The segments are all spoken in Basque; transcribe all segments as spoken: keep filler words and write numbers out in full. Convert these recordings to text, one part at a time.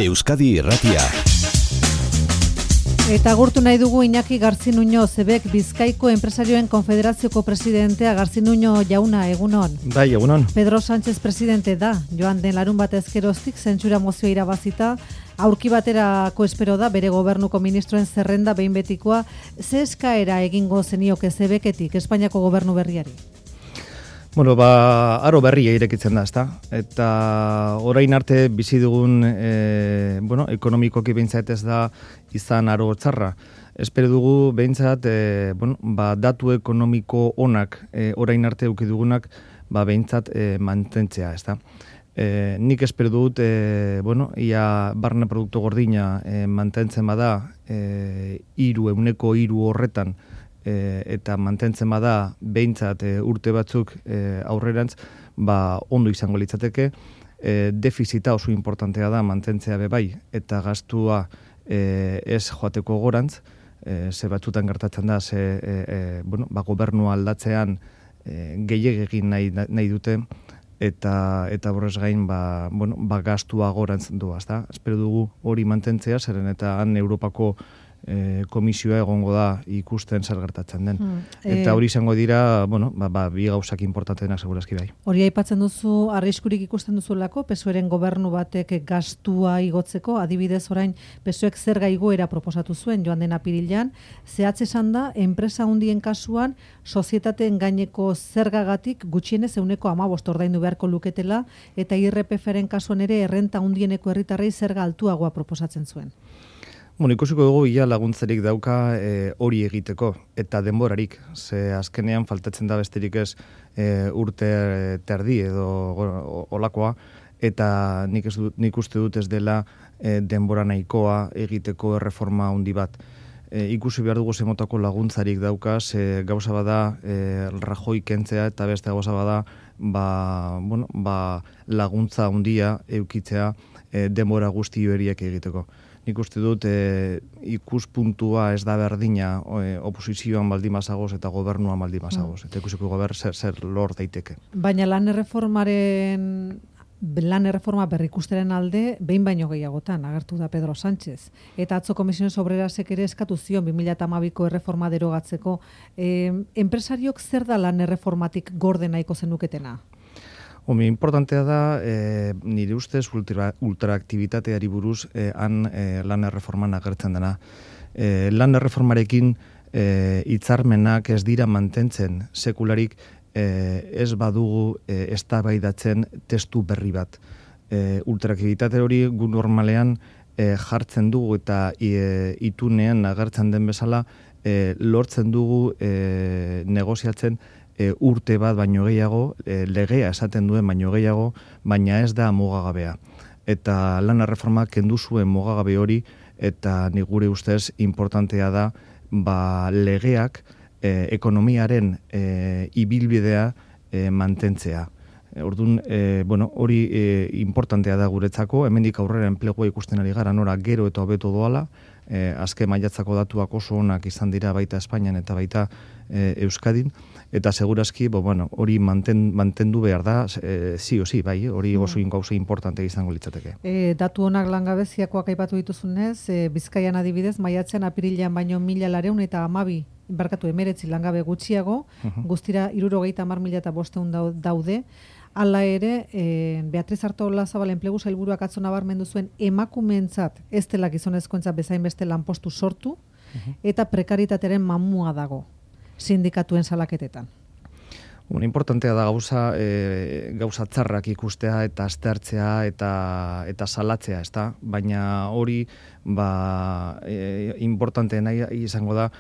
Euskadi Irratia. Eta agurtu nahi dugu Iñaki Garzinuño, Zebek Bizkaiko Enpresarioen Konfederazioko presidentea. Garzinuño jauna, egunon. Bai, egunon. Pedro Sánchez presidente da, joan den larun bat ezkeroztik zentsura mozioa irabazita, aurki baterako espero da bere gobernuko ministroen zerrenda behin betikoa. Ze eskaera egingo zenioke Zebeketik Espainiako gobernu berriari? Bueno, ba, aro berria irekitzen da, ezta? Eta orain arte bizi dugun, e, bueno, ekonomikoki behintzat ez da izan aro txarra. Espero dugu behintzat, e, bueno, ba, datu ekonomiko onak e, orain arte eduki dugunak, ba, behintzat e, mantentzea, ezta? E, nik espero dut, e, bueno, ia barne produktu gordina e, mantentzen bada, e, iru, euneko iru horretan, E, eta mantentzen bada behintzat e, urte batzuk e, aurrerantz, ba, ondo izango litzateke. E, defizita oso importantea da mantentzea bebai, eta gastua e, ez joateko gorantz, e, ze batzutan gertatzen da, ze e, e, bueno, ba, gobernua aldatzean e, gehiagegin nahi, nahi dute, eta eta borrez gain ba, bueno, ba, gastua gorantz doaz da. Espero dugu hori mantentzea, zeren eta han Europako E, komisioa egongo da ikusten zer gertatzen den. Hmm. Eta hori izango dira, bueno, ba, ba, bi gauzak importantenak segurazki bai. Hori aipatzen duzu, arriskurik ikusten duzulako, P S O Eren gobernu batek gastua igotzeko, adibidez orain P S O Ek zerga igoera proposatu zuen joan den apirilean, zehatz esan da, enpresa handien kasuan, sozietateen gaineko zergagatik gutxienez euneko hamabost ordaindu beharko luketela, eta I R P F-ren kasuan ere errenta handieneko herritarrei zerga altuagoa proposatzen zuen. Bueno, ikusiko dugu ia laguntzarik dauka e, hori egiteko, eta denborarik, ze azkenean faltatzen da besterik ez e, urte terdi edo olakoa, eta nik, ez dut, nik uste dut ez dela e, denbora nahikoa egiteko erreforma handi bat. E, ikusi behar dugu zemotako laguntzarik dauka, ze gauza bada e, Rajoy kentzea, eta beste gauza bada ba, bueno, ba, laguntza handia eukitzea e, denbora guzti horiek egiteko. Nik uste dut e, ikuspuntua ez da berdina e, oposizioan baldin bazagoz eta gobernuan baldin bazagoz. Eta ikusiko gober zer, zer lor daiteke. Baina lan erreformaren, lan erreforma berrikusteren alde, behin baino gehiagotan agertu da Pedro Sánchez. Eta atzo Komisiones Obrerasek ere eskatu zion bi mila hamabiko erreforma derogatzeko. E, enpresariok zer da lan erreformatik gorde nahiko zenuketena? Omi, importantea da, e, nire ustez ultra, ultraaktibitateari buruz e, han e, lan erreforman agertzen dena. E, lan erreformarekin e, hitzarmenak ez dira mantentzen sekularik e, ez badugu e, eztabaidatzen testu berri bat. E, ultraaktibitate hori gu normalean e, jartzen dugu eta e, itunean agertzen den bezala e, lortzen dugu e, negoziatzen E, urte bat baino gehiago, e, legea esaten duen baino gehiago, baina ez da mugagabea. Eta lan erreforma kendu zuen mugagabe hori, eta ni gure ustez importantea da ba, legeak e, ekonomiaren e, ibilbidea e, mantentzea. E, Orduan, e, bueno, hori e, importantea da guretzako, hemendik aurrera enplegua ikusten ari gara, nora gero eta hobeto doala, e, azken maiatzako datuak oso onak izan dira baita Espainian eta baita e, Euskadin, eta segurazki, bo, bueno, hori manten, mantendu behar da, e, zi o zi, bai, hori oso gauza importante izango litzateke. E, datu honak langabeziakoak aipatu dituzunez, e, Bizkaian adibidez, maiatzean apirilean baino mila lareun eta hamabi, barkatu emeretzi langabe gutxiago, uh-huh. guztira hirurogeita hamar mila eta bosteun daude. Hala ere, e, Beatriz Artolazabal enplegu sailburuak atzo nabarmendu zuen emakumeentzat ez dela gizonezkoentzat bezain beste lanpostu sortu, uh-huh. eta prekaritatearen mamua dago sindikatuen salaketetan. Bueno, importantea da gauza, e, gauza txarrak ikustea eta aztertzea eta, eta salatzea, ezta? Baina hori ba, e, importante nahi izango da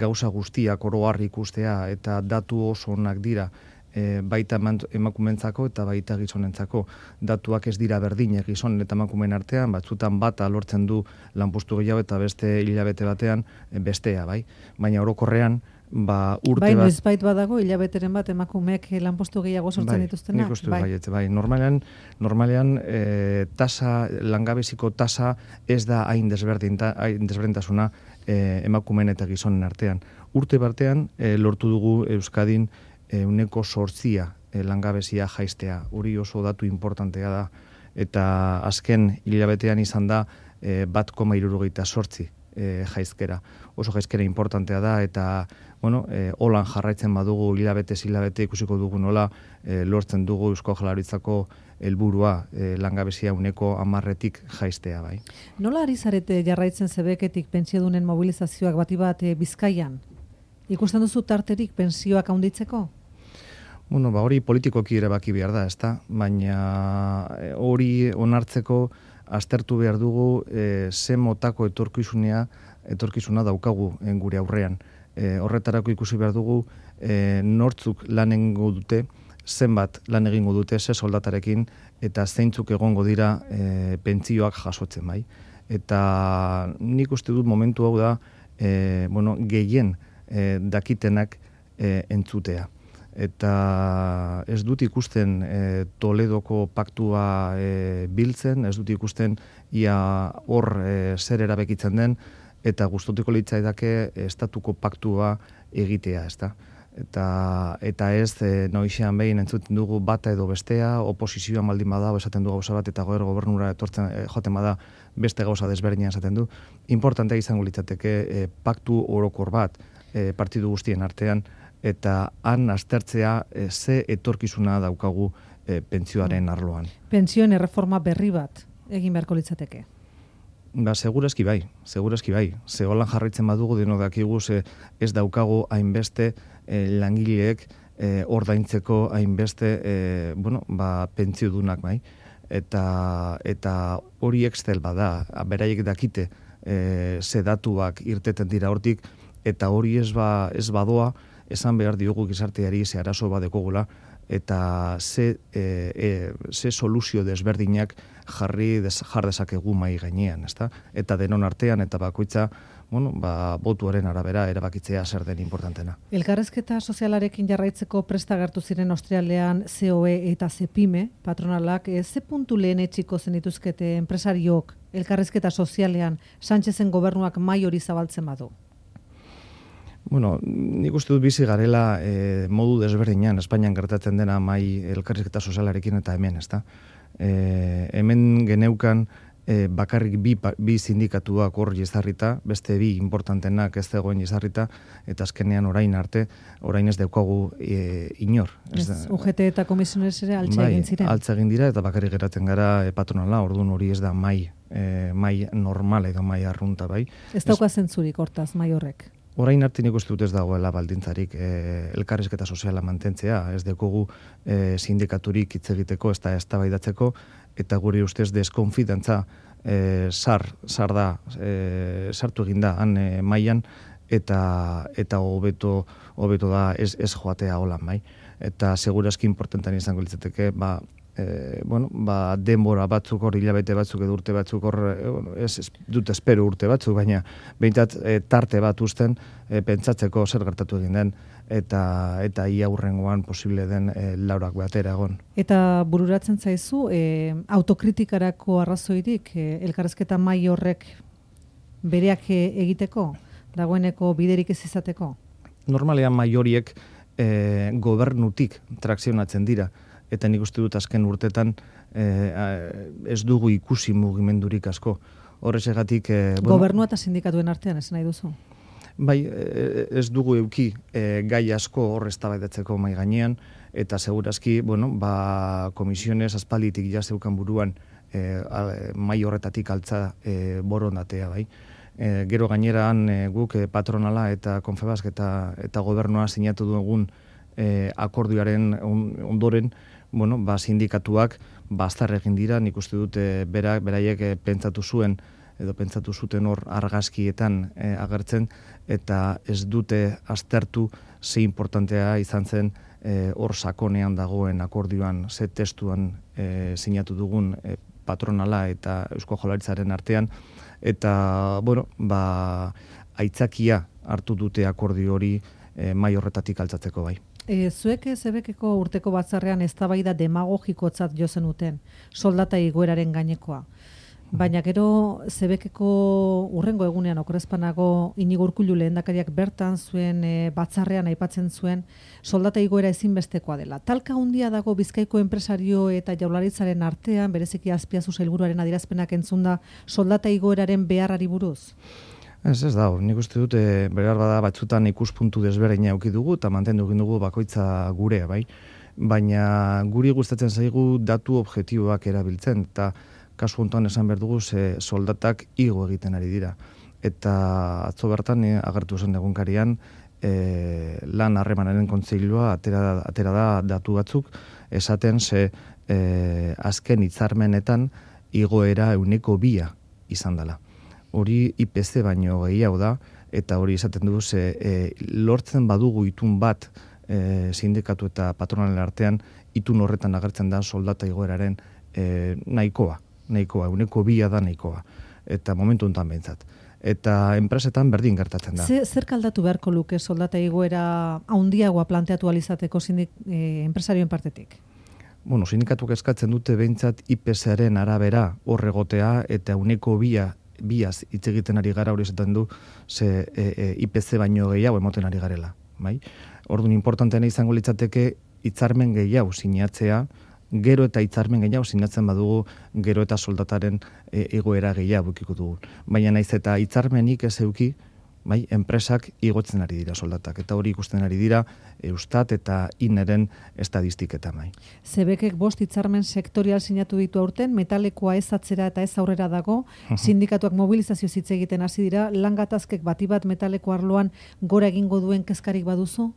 gauza guztiak oro har ikustea eta datu oso onak dira. E, baita emakumentzako eta baita gizonentzako. Datuak ez dira berdinek gizonen eta emakumeen artean, batzutan bata lortzen du lanpostu gehiago eta beste hilabete batean bestea, bai? Baina orokorrean, ba, urte bai, bat... Bai, noizbait badago, hilabeteren bat emakumeek lanpostu gehiago sortzen bai, dituztena? Nik uste bai, bai. bai. Normalean, normalean e, tasa, langabeziko tasa ez da hain desberdinta, hain desberdintasuna e, emakumeen eta gizonen artean. Urte batean e, lortu dugu Euskadin euneko sortzia e, langabezia jaistea. Hori oso datu importantea da. eta azken hilabetean izan da e, bat koma hirurogeita sortzi e, jaizkera. Oso jaizkera importantea da, eta bueno, e, holan jarraitzen badugu hilabete hilabete ikusiko dugu nola e, lortzen dugu Eusko Jaurlaritzako helburua e, langabezia uneko hamarretik jaistea bai. Nola ari zarete jarraitzen zebeketik pentsiodunen mobilizazioak bati bat e, Bizkaian? Ikusten duzu tarterik pentsioak handitzeko? Bueno, ba hori politikoki erabaki behar da, ezta? Baina hori onartzeko aztertu behar dugu e, ze motako etorkizunea, etorkizuna daukagu gure aurrean. E, horretarako ikusi behar dugu e, nortzuk lan egingo dute, zenbat lan egingo dute, ze soldatarekin, eta zeintzuk egongo dira e, pentsioak jasotzen bai. Eta nik uste dut momentu hau da, e, bueno, gehien e, dakitenak e, entzutea. Eta ez dut ikusten e, Toledoko paktua e, biltzen, ez dut ikusten ia hor e, zer erabekitzen den, eta gustatuko litzaidake estatuko paktua egitea, ezta? Eta, eta ez e, noixean behin entzuten dugu bata edo bestea, oposizioa maldin bada, esaten du gauza bat, eta goer gobernura etortzen e, joaten bada beste gauza desberdina esaten du. Importantea izango litzateke e, paktu orokor bat e, partidu guztien artean, eta han aztertzea e, ze etorkizuna daukagu e, pentsioaren arloan. Pentsioen erreforma berri bat egin beharko litzateke. Ba, segurazki bai, segurazki bai. Ze holan jarraitzen badugu deno dakigu ze ez daukagu hainbeste e, langileek e, ordaintzeko hainbeste e, bueno, ba, pentsiodunak bai. Eta, eta hori Excel bada, beraiek dakite e, ze datuak irteten dira hortik, eta hori ez, ba, ez badoa, esan behar diogu gizarteari ze arazo badekogula, eta ze, e, e, ze soluzio desberdinak jarri des, jar dezakegu mai gainean, ezta? Eta denon artean, eta bakoitza, bueno, ba, botuaren arabera erabakitzea zer den importantena. Elkarrezketa sozialarekin jarraitzeko presta agertu ziren Austrialean C O E eta Cepime, patronalak, e, ze puntu lehen etxiko zenituzkete enpresariok elkarrezketa sozialean Sánchezen gobernuak mai hori zabaltzen badu? Bueno, nik uste dut bizi garela e, modu desberdinean, Espainian gertatzen dena mai elkarrizketa sozialarekin eta hemen, ezta? E, hemen geneukan e, bakarrik bi, bi sindikatuak hor jezarrita, beste bi importantenak ez dagoen jezarrita, eta azkenean orain arte, orain ez daukagu e, inor. Ez, U G T eta komisiones ere altza bai, egin ziren. Altza egin dira, eta bakarrik geratzen gara e, patronala, orduan hori ez da mai, e, mai normal edo mai arrunta, bai. Ez dauka zentzurik hortaz, mai horrek. Orain arte nik uste dut ez dagoela baldintzarik e, elkarrizketa soziala mantentzea, ez dekogu e, sindikaturik hitz egiteko, ez da eztabaidatzeko, eta gure ustez deskonfidantza e, sar, sar da, e, sartu egin da han e, mailan, eta eta hobeto hobeto da ez, ez joatea holan, bai. Eta segurazki importantean izango litzateke, ba, E, bueno, ba, denbora batzuk hor, hilabete batzuk edo urte batzuk hor, ez, ez dut espero urte batzuk, baina behintzat e, tarte bat usten e, pentsatzeko zer gertatu egin den, eta eta ia hurrengoan posible den e, laurak batera egon. Eta bururatzen zaizu, e, autokritikarako arrazoirik e, elkarrezketa mai horrek bereak egiteko, dagoeneko biderik ez izateko? Normalean mai horiek e, gobernutik trakzionatzen dira, eta nik uste dut azken urtetan e, ez dugu ikusi mugimendurik asko. Horrexegatik... E, bueno, gobernua eta sindikatuen artean, esan nahi duzu? Bai, ez dugu euki e, gai asko hor eztabaidatzeko mai gainean, eta segurazki, bueno, ba, komisiones aspalditik ja zeukan buruan e, mai horretatik altza e, borondatea, bai. E, gero gaineran e, guk e, patronala eta Confebask eta, eta gobernua sinatu dugun e, akordioaren ondoren, bueno, ba, sindikatuak bastar egin dira, nik uste dut e, berak, beraiek e, pentsatu zuen, edo pentsatu zuten hor argazkietan e, agertzen, eta ez dute aztertu ze importantea izan zen e, hor sakonean dagoen akordioan, ze testuan e, sinatu dugun e, patronala eta Eusko Jaurlaritzaren artean, eta, bueno, ba, aitzakia hartu dute akordio hori e, mai horretatik altzatzeko bai. E, zuek zebekeko urteko batzarrean eztabaida demagogikotzat jo zenuten, soldata igoeraren gainekoa. Baina gero Zebekeko urrengo egunean okorrezpanago Inigo Urkullu lehendakariak bertan zuen e, batzarrean aipatzen zuen soldata igoera ezinbestekoa dela. Talka handia dago Bizkaiko enpresario eta Jaurlaritzaren artean, bereziki Azpiazu sailburuaren adierazpenak entzunda soldata igoeraren beharrari buruz. Ez ez da, nik uste dut e, behar bada batzutan ikuspuntu desberdina eduki dugu eta mantendu egin dugu bakoitza gurea, bai. Baina guri gustatzen zaigu datu objektiboak erabiltzen eta kasu honetan esan behar dugu ze soldatak igo egiten ari dira. Eta atzo bertan e, agertu zen egunkarian e, lan harremanaren kontseilua atera, atera da datu batzuk esaten ze e, azken hitzarmenetan igoera ehuneko bia izan dela. Hori I P C baino gehiago da eta hori esaten du ze e, lortzen badugu itun bat e, sindikatu eta patronalen artean itun horretan agertzen da soldata igoeraren e, nahikoa. nahikoa, uneko bia da nahikoa, eta momentu honetan behintzat. Eta enpresetan berdin gertatzen da. Zer, zer kaldatu beharko luke soldata igoera handiagoa planteatu alizateko sindik, eh, enpresarioen partetik? Bueno, sindikatuak eskatzen dute behintzat I P C-aren arabera horregotea eta uneko bia, biaz hitz egiten ari gara hori esaten du ze e, e, I P C baino gehiago emoten ari garela. Bai? Orduan importanteena izango litzateke hitzarmen gehiago sinatzea, gero eta hitzarmen gehiago sinatzen badugu gero eta soldataren e, egoera gehiago ukiko dugu. Baina naiz eta hitzarmenik ez euki, bai, enpresak igotzen ari dira soldatak eta hori ikusten ari dira Eustat eta Ineren estadistiketan bai. Zebekek bost hitzarmen sektorial sinatu ditu aurten, metalekoa ez atzera eta ez aurrera dago, sindikatuak mobilizazio hitz egiten hasi dira, lan gatazkek bati bat metaleko arloan gora egingo duen kezkarik baduzu?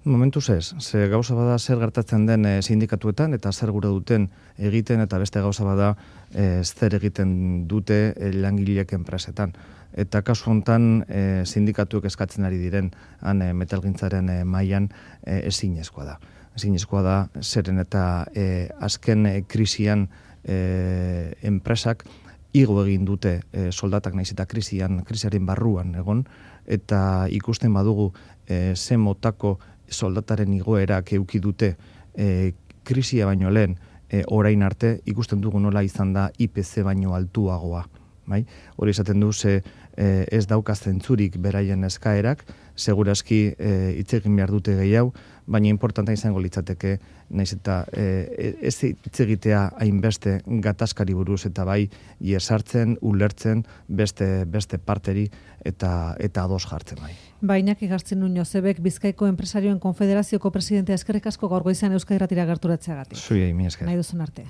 Momentuz ez, ze gauza bada zer gertatzen den e, sindikatuetan eta zer gure duten egiten eta beste gauza bada e, zer egiten dute e, langileek enpresetan. Eta kasu honetan e, sindikatuek eskatzen ari diren han e, metalgintzaren e, mailan e, ezinezkoa da. Ezinezkoa da zeren eta e, azken e, krisian e, enpresak igo egin dute e, soldatak naiz eta krisian, krisiaren barruan egon eta ikusten badugu e, ze motako soldataren igoerak eduki dute e, krisia baino lehen e, orain arte ikusten dugu nola izan da I P C baino altuagoa. Bai? Hori esaten du ze e, ez dauka zentzurik beraien eskaerak, segurazki e, hitz egin behar dute gehiago, baina importanta izango litzateke naiz eta e, ez hitz egitea hainbeste gatazkari buruz eta bai iesartzen, ulertzen beste beste parteri eta eta ados jartzen bai. Bainak igartzen nuño Zebek Bizkaiko Enpresarioen Konfederazioko presidentea eskerrik asko gaur goizean Euskadi Irratira gerturatzeagatik. Zuei, mi esker. Nahi duzun arte.